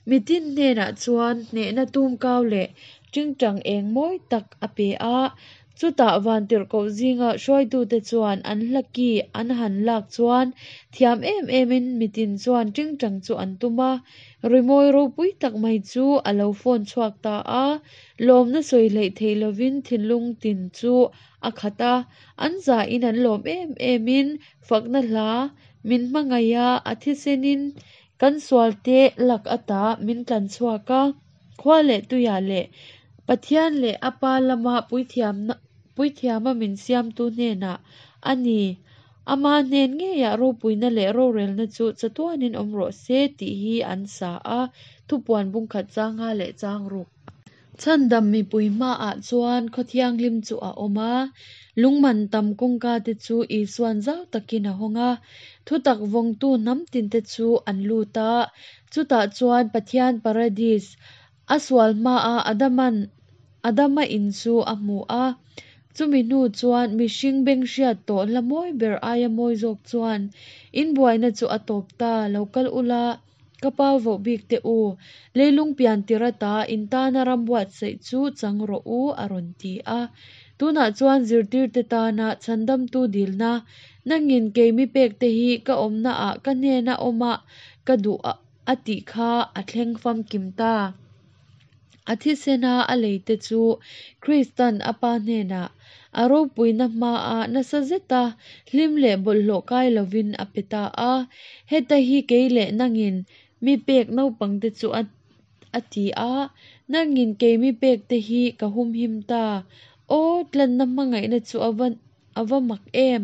mitin hnenah chuan hnehna tumkau leh tingtang eng mawi tak a pe a. Chutah vantirhkoh zinga hruaitute chuan an hla ki an han lak chuan thiam em emin mitin chuan tingtang chu an tum a, rimawi ropui tak mai chu a lo fawn chhuak ta a. Lawmna sawi hleih theih lovin thinlung tin chu a khat a, an zahin an lawm em emin fakna hla min hmangaih a, a thisenin kan sualte lak ata min tlan chhuak a, khua leh tuiah leh Pathian leh a Pa lama puithiamna puithiama min siamtu hnenah a ni. Ama hnen ngeiah ropuina leh rorelna chu chatuanin awm rawh se tih hi an sa a, thupuan bungkhat chang nga leh chang ruk. Chhandam mipui hmaah chuan khaw thianghlim chu a awm a, lungman tam kawngka te chu Isuan zau takin a hawng a, thutak vawngtu hnam tinte chu an lut a, chutah chuan Pathian Paradis, a sual hmaa Adaman Adama in chu a hmu a, chumi hnu chuan mihring beng hriat tawh hla mawi ber aia mawi zawk chuan in buaina chu a tawp ta, lo kal ula. Ka pa voh bik teh u, leilung pian tir ata in tana ram buatsaih chu chang rawh u, a rawn ti a. Tunah chuan zirtirte tana chhandamtu dilna, nangin kei mi pek te hi ka awmnaah ka hnena awmah ka duh a tih kha a thleng famkim ta. A thisena a leite chu Kristan a Pa hnenah a ropuina hmaa nasa zeta hlim leh bawlhhlawh kai lovin a pe ta a. Heta hi kei leh nangin mi pek naupangte chu a a ti a, nangin kei mi pekte hi ka humhim ta. Aw, tlanna hmangaihna chu a va a va mak em!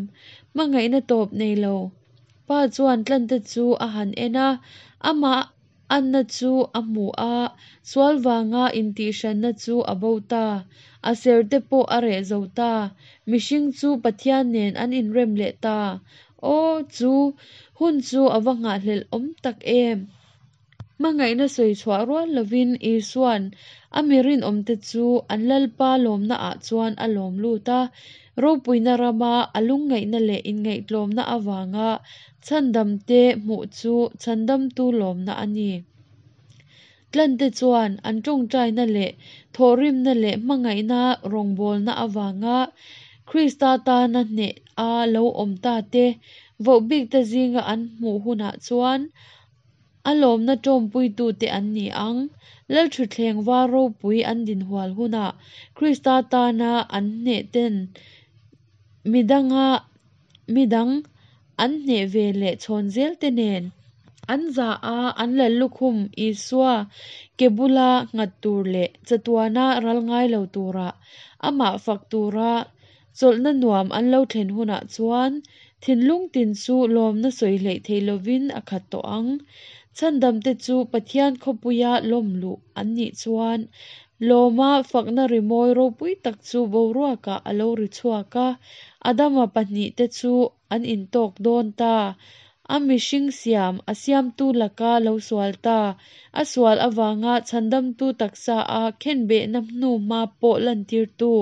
Hmangaihna tawp nei lo. Pa chuan tlante chu a han en a, amah Anna chu a hmu a, sual vanga intihhranna chu a bo ta. A serte pawh a reh zo ta. Mihring chu Pathian nen an inrem leh ta. Aw, chu hun chu a va nghahhlelh awm tak em! Hmangaihna sawi chhuah rual lovin Isua'n a mi rinawmte chu an Lalpa lawmnaah chuan a lawm lut a. Ropuina rama a lungngaihna leh inngaihtlawmna avanga Chhandamte hmuh chu chhandamtu lawmna a ni. Tlante chuan an tawngtaina leh thawhrimna leh hmangaihna rawngbawlna avanga Krista tana hneh a lo awm ta te vohbikte zinga an hmuh hunah chuan a lawmna tawmpuitute an ni ang. Lalthutthleng var ropui an dinhual hunah Krista tana an hnehten midanga midang an hneh ve leh chhawn zel te nen an za a, an lallukhum Isua ke bula nghat tur leh chatuana ral ngai lo tura amah fak tura chawlhna nuam an lo thlen hunah chuan thinlung tin chu lawmna sawi hleih theih lovin a khat tawh ang. Chhandamte chu Pathian khawpuia lawm luh an nih chuan Lawma fakna rimawi ropui tak chu boruakah a lo ri chhuak a, Adama pahnihte chu an intawk dawn ta. A mihring siam, a siamtu laka lo sual ta. A sual avanga chhandamtu taksa a khenbehna hnu hma pawh lantirtu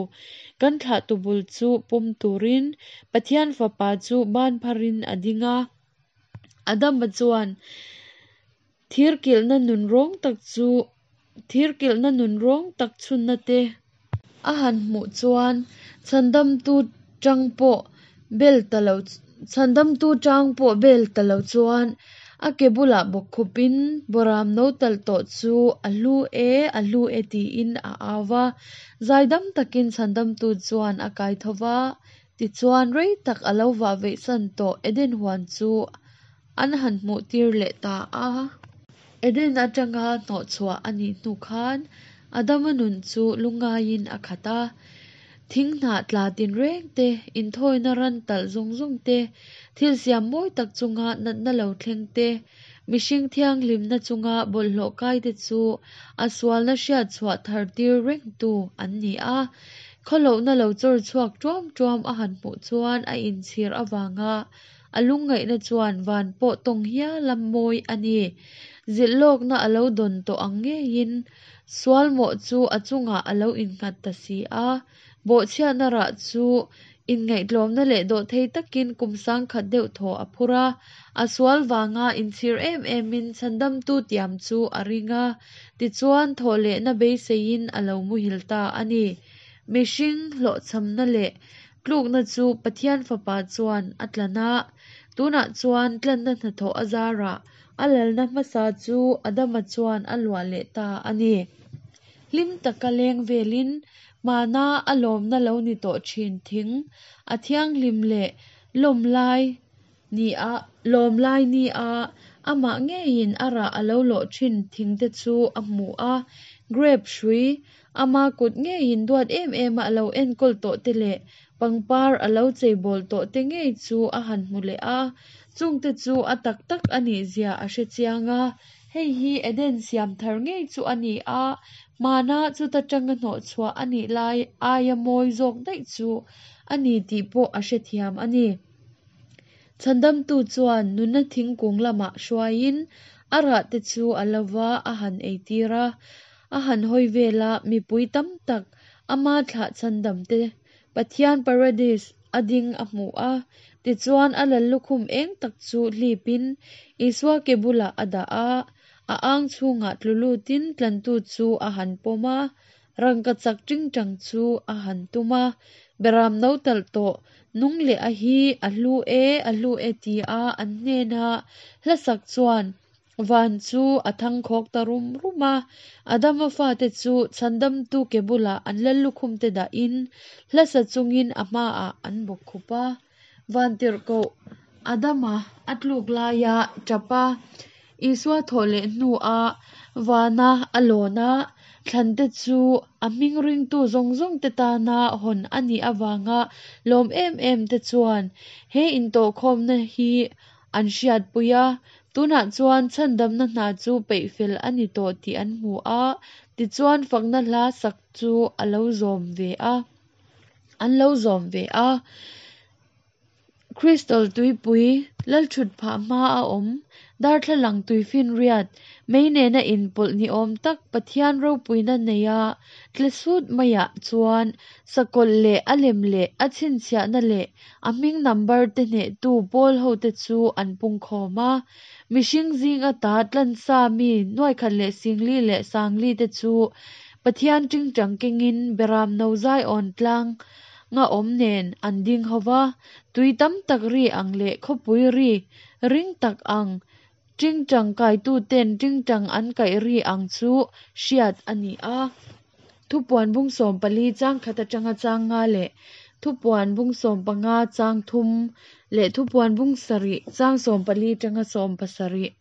kan thlahtu bul chu pawm turin Pathian Fapa chu ban pharin a ding a. Adama chuan Thirkilhna nun rawng tak chu thirkilhna nun rawng tak chhunna te a han hmuh chuan chhandamtu tang pawh bel ta lo chhandamtu tang pawh bel ta lo chuan a ke bulah bawkkhupin Boram no talh tawh chu a hlu e a hlu e tiin a au va, zaidam takin chhandamtu chuan a kai tho va, tichuan rei tak a lo vah veihsan tawh Eden huan chu an han hmuh tir leh ta a. Eden atanga hnawhchhuah a nih hnu khan Adama nun chu lungaiin a khat a. Thing hnah tla tinreng te, inthawina ran talh zawng zawng te, thil siam mawi tak chunga natna lo thleng te, mihring thianghlimna chunga bawlhhlawh kai te chu a sualna hriat chhuah thar tir rengtu an ni a. Khawlohna lo chawr chhuak tuam tuam a han hmuh chuan a inchhir avanga a lungngaihna chuan van pawh tawng hial a mawi a ni. Zilh lawkna a lo dawn tawh ang ngeiin sual mawh chu a chungah a lo innghat ta si a. Bawhchhiatna rah chu inngaihtlawmna leh dawhthei takin kum sangkhat deuh thaw a phur a. A sual vanga inchhir em emin chhandamtu tiam chu a ring a, tichuan thawhlehna beiseiin a lo muhil ta a ni. Mihring hlawhchhamna leh tlukna chu Pathian Fapa chuan a tlan a, tunah chuan tlanna hnathawh a zarah a lalna hmasa chu Adama chuan a luah leh ta a ni. Hlim taka leng velin hmana a lawmna lo ni tawh thin thing a thianghlim leh lawm lai ni a, lawm lai ni a, amah ngeiin a rah a lo lawh thin thing te chu a hmu a, grape hrui ama kut ngeiin duat em em a a lo enkawl tawh te leh pangpar a lo cheibawl tawh te ngei chu a han hmu leh a, chungte chu a tak tak a nih zia a hre chiang a, hei hi Eden siam thar ngei chu a ni a, hmana chuta tanga hnawh chhuah a nih lai aia mawi zawk daih chu a ni tih pawh a hrethiam a ni. Chhandamtu chuan nunna thingkung lamah hruaiin a rah te chu a lo va a han eitir a, a han hawi vel a, mipui tam tak ama thlah chhandam te Pathian Paradis a ding a hmu a, tichuan a lallukhum eng tak chu hlipin Isua ke bulah a dah a, a ang chhungah tlu lutin tlantu chu a han pawm a, Rangkachak tingtang chu a han tum a, Beram no talh tawh, nung leh a hi a hlu e, a hlu e ti a an hnena hla sak chuan van chu a thangkhawk ta rum rum a. Adama fate chu chhandamtu ke bulah an lallukhum te dahin hla sa chungin a hmaah an bawk khup a. Vantirhkoh Adama a tluk laia tap a, Isua thawh leh hnua vana a lawn a, thlante chu a hming ringtu zawng zawngte tana hawn a nih avanga lawm em em te chuan he intawhkhawmna hi an hriatpui a, tunah chuan chhandamna hna chu peihfel a ni tawh tih an hmu a, tichuan fakna hla sak chu a lo zawm ve a. An lo zawm ve a. Crystal tuipui, lalthut phah hma a awm, darthlalang tuifinriat, mei nena inpawlh ni awm tak Pathian ropuina neia tle sut maiah chuan sakawlh leh a lem leh a chhinchhiahna leh a hming number te hnehtu pawl hote chu an pungkhawm a. Mihring zing ata tlansa mi nuaikhat leh singli leh sangli te chu Pathian tingtang kengin Beram no zaiawn tlang nga awm nen an ding ho va, tui tam tak ri ang leh khawpui ri ring tak ang, tingtang kaituten tingtang an kaih ri ang chu hriat a ni a. Thupuan bung 14 chang khat atanga chang nga leh Thupuan bung 15 chang thum leh Thupuan bung 7 chang 14 atanga 17.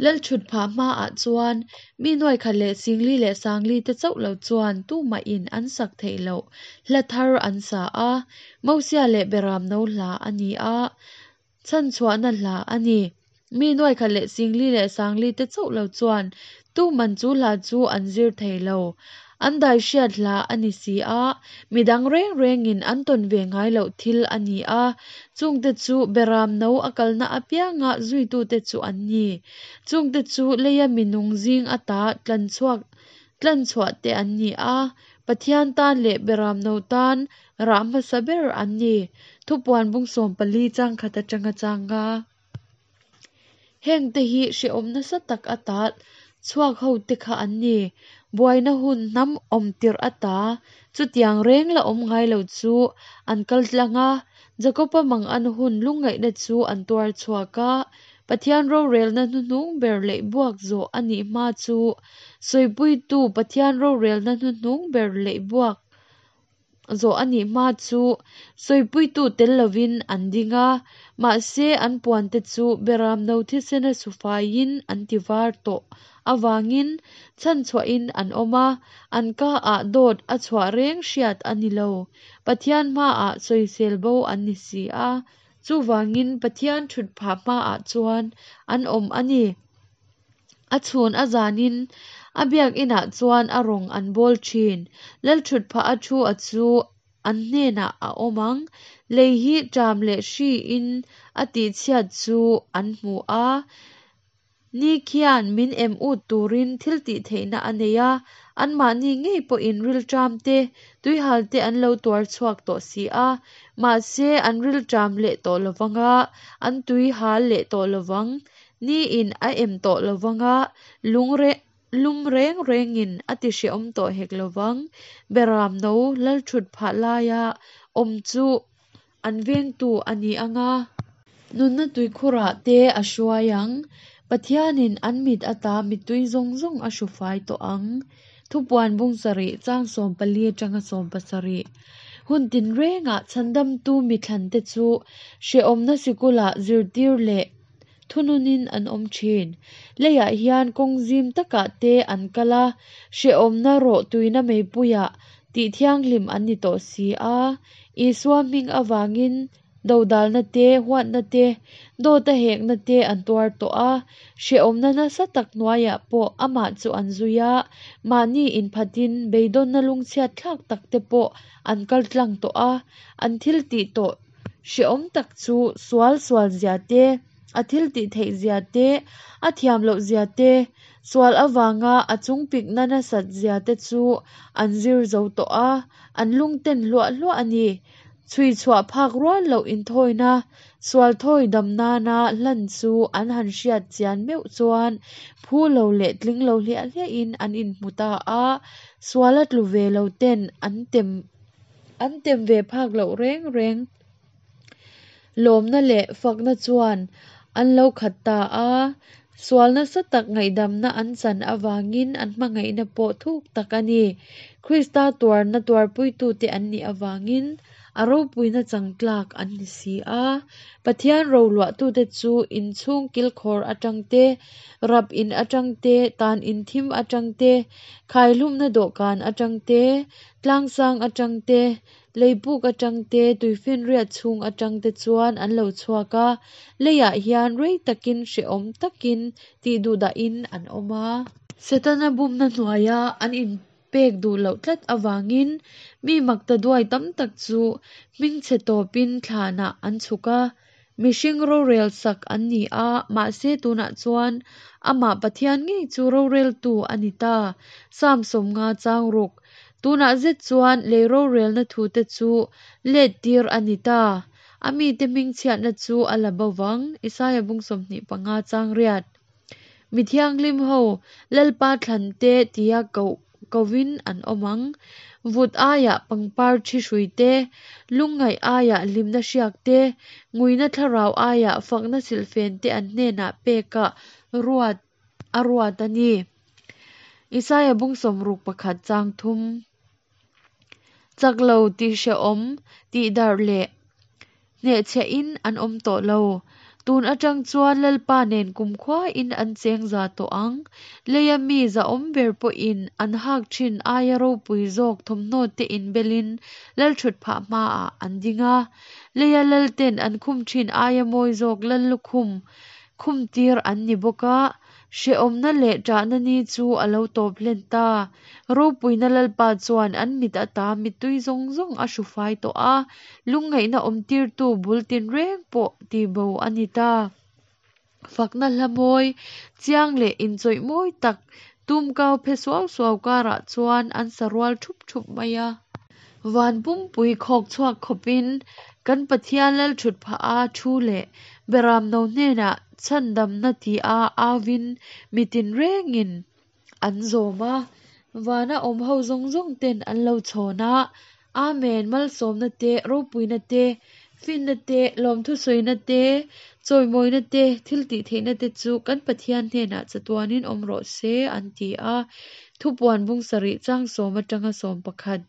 Lalthut phah hmaah chuan mi nuaikhat leh singli leh sangli te chauh lo chuan tumahin an sak theih loh hla thar an sa a, Mosia leh Beramno hla a ni a, chhanchhuahna hla a ni. Mi nuaikhat leh singli leh sangli te chauh lo chuan tuman chu hla chu an zir thei lo. An dai hriat hla a ni si a, midang reng rengin an tawn ve ngai loh thil a ni a, chungte chu Beram no a kalna apianga zuitute chu an ni. Chungte chu leia minung zing ata tlanchhuak tlanchhuah te an ni a, Pathian tan leh Beram no tan rah hmasa ber an ni. Thupuan bung 14 chang khat atanga chang nga. Hengte hi hrehawm nasa tak ata chhuak ho te kha an ni. Buaina hun hnam awm tirh ata chutiang reng la awm ngai lo chu an kal tlang a, Jakoba mangan hun lungngaihna chu an tuar chhuak a, Pathian rorelna hnuhnung ber leh buak zawh a nih hma chu sawipuitu Pathian rorelna hnuhnung ber leh buak. zawh a nih hma chu sawipuitu tel lovin an ding a, mahse an puante chu Beramno thisena sufaiin an tivar tawh avangin chhanchhuahin an awm a, an kaah dawt a chhuah reng hriat a ni lo. Pathian hmaah sawisel bo an ni si a, chuvangin Pathian thutphah hmaah chuan an awm a ni. A chhun a zanin a biakinah chuan a rawng an bawl thin. Lalthutphah a thu a chu an hnenah a awm ang. Lei hi ṭam leh hriin a tihchhiat chu an hmu a. Ni khian min em ut turin thil tihtheihna a nei a, anmahni ngei pawhin rilṭam te, tuihal te an lo tuar chhuak tawh si a. Mahse, an rilṭam leh tawh lovang a, an tuihal leh tawh lovang. Ni in a em tawh lovang a, lung lum reng rengin a ti hrehawm tawh hek lovang. Beram no lalthut phah laia awm chu an vengtu a ni ang a. Nunna tuikhurah te a hruai ang. Pathianin an mit ata mittui zawng zawng a hru fai tawh ang. Thupuan bung sarih chang 14 atanga 17. Hun tinrengah chhandamtu mithlante chu hrehawmna sikulah zirtir leh thununin an awm thin. Leiah hian kawng zim takah te an kal a, hrehawmna rawh tuina meipuiah tih thianghlim an ni tawh si a. Isua hming avangin dodalna te, huatna te, dawta hekna te an tuar tawh a, hrehawmna nasa tak hnuaiah pawh amah chu an zui a, mahni inphatin beidawnna lungchhiat thlak tak te pawh an kal tlang tawh a, an thil tih tawh hrehawm tak chu sual sual zia te, a thil tih theih zia te, a thiam loh zia te, sual avanga a chungpikna nasat zia te chu an zir zo tawh a, an lungten hluah hluah a ni. Chhui chhuah phak rual loh inthawina, sual thawi dam nana hlan chu an han hriat chian meuh chuan phu lo leh tling lo hliah hliahin an inhmu ta a, suala tlu ve lo ten an tem an tem ve phak loh reng reng. Lawmna leh fakna chuan an lo khat ta a, sual nasa tak ngaihdamna an chan avangin an hmangaihna pawh thuk tak a ni. Krista tuarna tuarpuitute an nih avangin a ropuina chang tlak an ni si a. Pathian roluahtute chu inchhung kilkhawr atang te, rap in atang te, tan in thim atang te, khaihlumna dawhkan atang te, tlangsang atang te, Leipuk atang te, tuifinriat chhung atang te chuan an lo chhuak a, leiah hian rei takin hrehawm takin tih duhdahin an awm a. Setana bumna hnuaia an inpek duh loh tlat avangin mi makta duai tam tak chu hmingchhe tawpin thlanah an chhuk a, mihring rorel sak an ni a, mahse tunah chuan amah Pathian ngei chu roreltu a ni ta. Psalm 50 chang ruk. Tunah zet chuan lei rorelna thute chu let tir a ni ta. A mite hmingchhiatna chu a la bo vang, Isaia bung 25 chang riat. Mi thianghlim ho Lalpa thlan te tia koh kovin an awm ang. Vut aiah pangpar thi hrui te, lungngaih aiah hlimna hriak te, nguina thlarau aiah fakna silhfen te an hnenah pekah ruat a ruat a ni. Isaia bung 61 chang thum. Chak lo tih hrehawm, tih darh leh hnehchhiahin an awm tawh lo. Tun atang chuan Lalpa nen kumkhuain an cheng za tawh ang. Leia mi zahawm ber pawhin an hak thin aia ropui zawk thawmhnaw te inbelin Lalthutphah hmaah an ding a. Leia lalten an khum thin aia mawi zawk Lallukhum khumtir an ni bawk a. Hrehawmna leh ṭahna ni chu a lo tawp hlen ta. Ropuina Lalpa chuan an mit ata mittui zawng zawng a hru fai tawh a, lungngaihna awmtirtu bul tinreng pawh tihbo a ni ta. Fakna hla mawi, chiang leh inchawih mawi tak tumkau phe suau suau karah chuan an sa rual ṭhup ṭhup mai a. Van pumpui khawk chhuak khawpin kan Pathian Lalṭhut phah a thu leh Beramno hnenah chhandamna tia auvin mi tinrengin an zawm a, vana awm ho zawng zawng ten an lo chhawn a, Amen, malsawmna te, ropuina te, finna te, lawmthusawina te, chawimawina te, thil tihtheihna te chu kan Pathian hnenah chatuanin awm rawh se, an ti a. Thupuan bung sarih chang sawm atanga 11.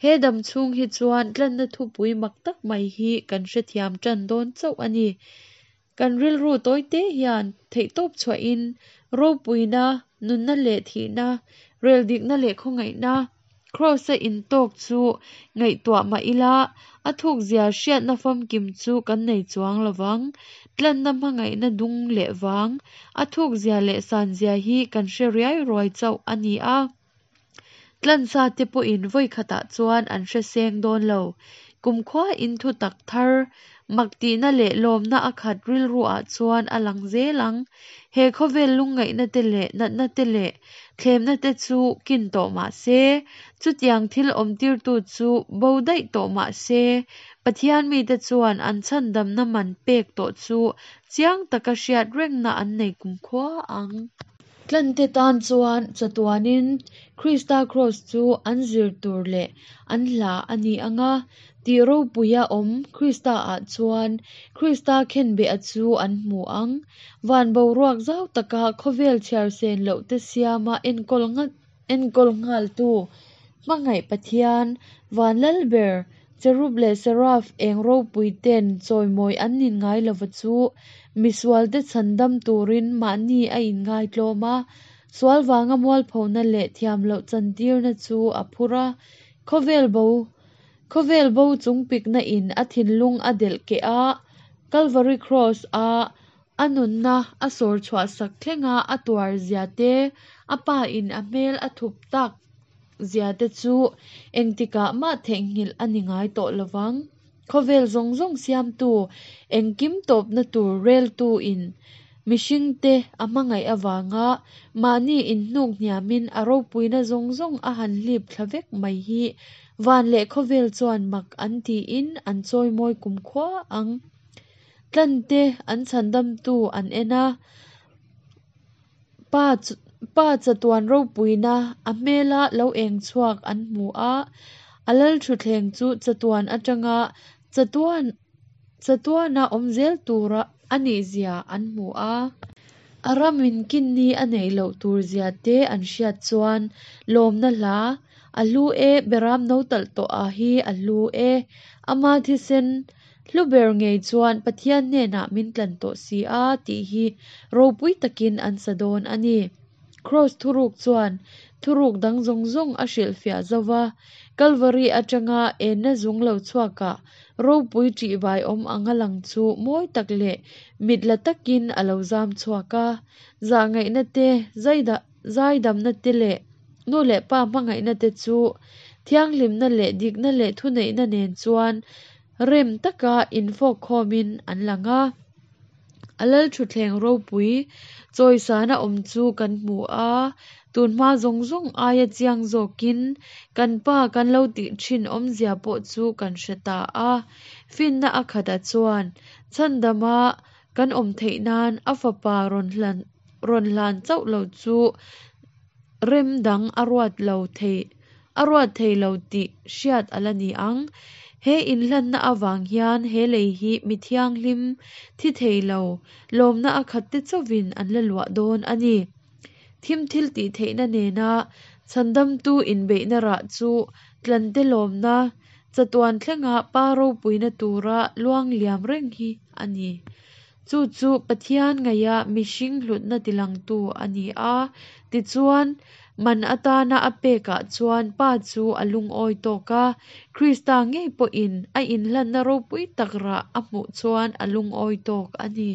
He dam chhung hi chuan tlanna thupui mak tak mai hi kan hrethiam tan dawn chauh a ni. Kan rilru tawite hian theihtawp chhuahin ropuina, nunna leh thihna, reldikna leh khawngaihna, Kraws-a intawk chu ngaihtuah mah ila, a thukzia hriatna famkim chu kan nei chuang lo vang. Tlanna hmangaihna dung leh vang, a thukzia leh sanzia hi kan hre riai ruai chauh a ni a. Tlansa te pawhin vawi khatah chuan an hre seng dawn lo. Kumkhuain thutak thar, mak tihna leh lawmna a khat rilruah chuan a lang zel ang. He khawvel lungngaihna te leh natna te leh thlemna te chu kin tawh mah se, chutiang thil awmtirtu chu bo daih tawh mah se, Pathian mite chuan an chhandamna man pek tawh chu chiang taka hriat rengna an nei kumkhua ang. Tlante tan chuan chatuanin Krista Kraws chu an zir tur leh an hla a ni ang a, tih ropuia awm Krista-ah chuan Krista khenbeha chu an hmu ang. Van boruak zau taka khawvel chhiar sen loh te siama enkawl enkawl nghaltu Hmangaih Pathian, Van Lal ber, Cherub leh Seraph eng ropui ten chawimawi an nin ngai lova chu misualte chhandam turin mahni a inngaitlawm a, sual vanga mualphona leh thiamloh chantirna chu a phur a, khawvel bo khawvel bo chungpikna in a thinlung a delh keh a, Calvary Cross a a nunna a sawr chhuah sak thlenga a tuar zia te, a pa in a hmel a thup tak zia te chu engtikah mah theihnghilh a ni ngai tawh lovang. Khawvel zawng zawng siamtu, engkim tawpna tur reltu in mihringte a hmangaih avanga mahni inhnuk hniamin a ropuina zawng zawng a han hlip thla vek mai hi van leh khawvel chuan mak an tiin an chawimawi kumkhua ang. Tlante an chhandamtu an en a, Pa Pa chatuan ropuina a hmela lo eng chhuak an hmu a, a lalthutthleng chu chatuan atanga chatuan chatuana awm zel tura a nih zia an hmu a. A ramin kinni a neih loh tur zia te an hriat chuan lawmna hla a hlu e, Beram no talh tawh a hi a hlu e, ama thisen Hlu ber ngei chuan Pathian hnenah min tlan tawh si a tih hi ropui takin an sa dawn a ni. Kraws thuruk chuan thuruk dang zawng zawng a hrilhfiah zo va, Kalvari atanga enna zung lo chhuakah ropui ṭihbai awm anga lang chu mawi tak leh mit la takin a lo zam chhuak a. Zahngaihna te, zaidamna te leh nu leh pa hmangaihna te chu thianghlimna leh dikna leh thuneihna nen chuan Rem taka infawk khawmin an lang a, a lalthutthleng ropui chawisana awm chu kan hmu a, tunhma zawng zawng aia chiang zawkin kan pa kan lo tih thin awmzia pawh chu kan hre ta a. Finna a khatah chuan chhandama kan awm theih nan a fapa rawn hlan rawn hlan chauh lo chu rem dang a ruat lo thei a ruat thei lo tih hriat a la ni ang. He inhlanna avang hian he lei hi mi thianghlim thi thei lo, lawmna a khat te chauhin an la luah dawn a ni. Thim thil tih theihna nena chhandamtu inbeihna rah chu tlante lawmna chatuan thlenga pa ropuina tura luang liam reng hi a ni. Chu chu Pathian ngaia mihring hlutna tilangtu a ni a, tichuan, man atana a pekah chuan Pa chu a lungawi tawk a, Krista ngei pawhin a inhlanna ropui tak rah a hmuh chuan a lungawi tawk a ni.